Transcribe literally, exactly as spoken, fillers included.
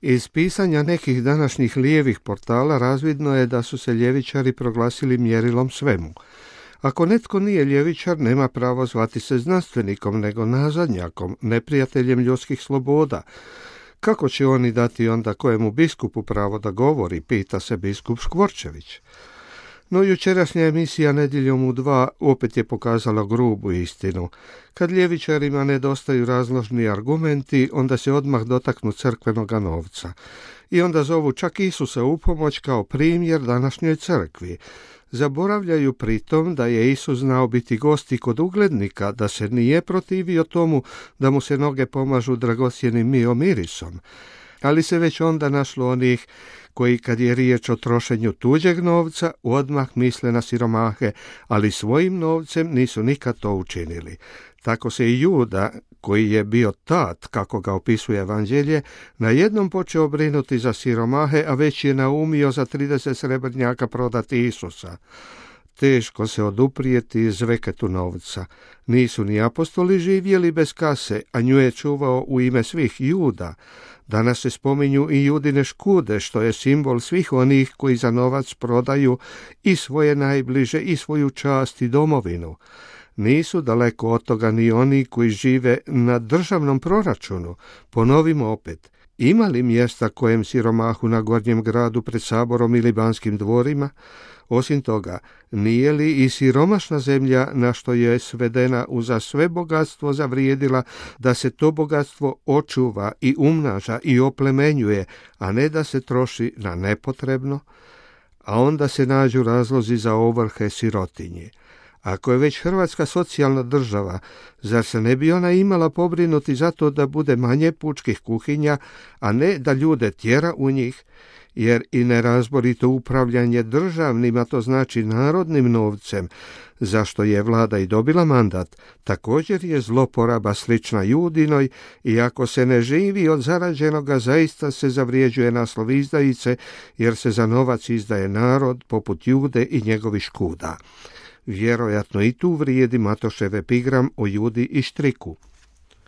Iz pisanja nekih današnjih lijevih portala razvidno je da su se ljevičari proglasili mjerilom svemu. Ako netko nije ljevičar, nema pravo zvati se znanstvenikom, nego nazadnjakom, neprijateljem ljudskih sloboda. Kako će oni dati onda kojemu biskupu pravo da govori, pita se biskup Škvorčević. No jučerašnja emisija Nedjeljom u dva opet je pokazala grubu istinu. Kad ljevičarima nedostaju razložni argumenti, onda se odmah dotaknu crkvenoga novca. I onda zovu čak Isusa u pomoć kao primjer današnjoj crkvi. Zaboravljaju pritom da je Isus znao biti gost i kod uglednika, da se nije protivio tomu da mu se noge pomažu dragocjenim miomirisom. Ali se već onda našlo onih koji kad je riječ o trošenju tuđeg novca odmah misle na siromahe, ali svojim novcem nisu nikad to učinili. Tako se i Juda, koji je bio tat, kako ga opisuje Evanđelje, najednom počeo brinuti za siromahe, a već je naumio za trideset srebrnjaka prodati Isusa. Teško se oduprijeti zveketu novca. Nisu ni apostoli živjeli bez kase, a nju je čuvao u ime svih Juda. Danas se spominju i Judine škude, što je simbol svih onih koji za novac prodaju i svoje najbliže i svoju čast i domovinu. Nisu daleko od toga ni oni koji žive na državnom proračunu. Ponovimo opet, ima li mjesta kojem siromahu na Gornjem gradu pred saborom ili Banskim dvorima? Osim toga, nije li i siromašna zemlja na što je svedena uza sve bogatstvo zavrijedila da se to bogatstvo očuva i umnaža i oplemenjuje, a ne da se troši na nepotrebno? A onda se nađu razlozi za ovrhe sirotinje. Ako je već Hrvatska socijalna država, zar se ne bi ona imala pobrinuti za to da bude manje pučkih kuhinja, a ne da ljude tjera u njih? Jer i nerazborito upravljanje državnim, a to znači narodnim novcem, zašto je vlada i dobila mandat, također je zloporaba slična Judinoj i ako se ne živi od zarađenoga, zaista se zavrijeđuje naslov izdajice, jer se za novac izdaje narod poput Jude i njegovih škuda. Vjerojatno i tu vrijedi Matošev epigram o Judi i Štriku.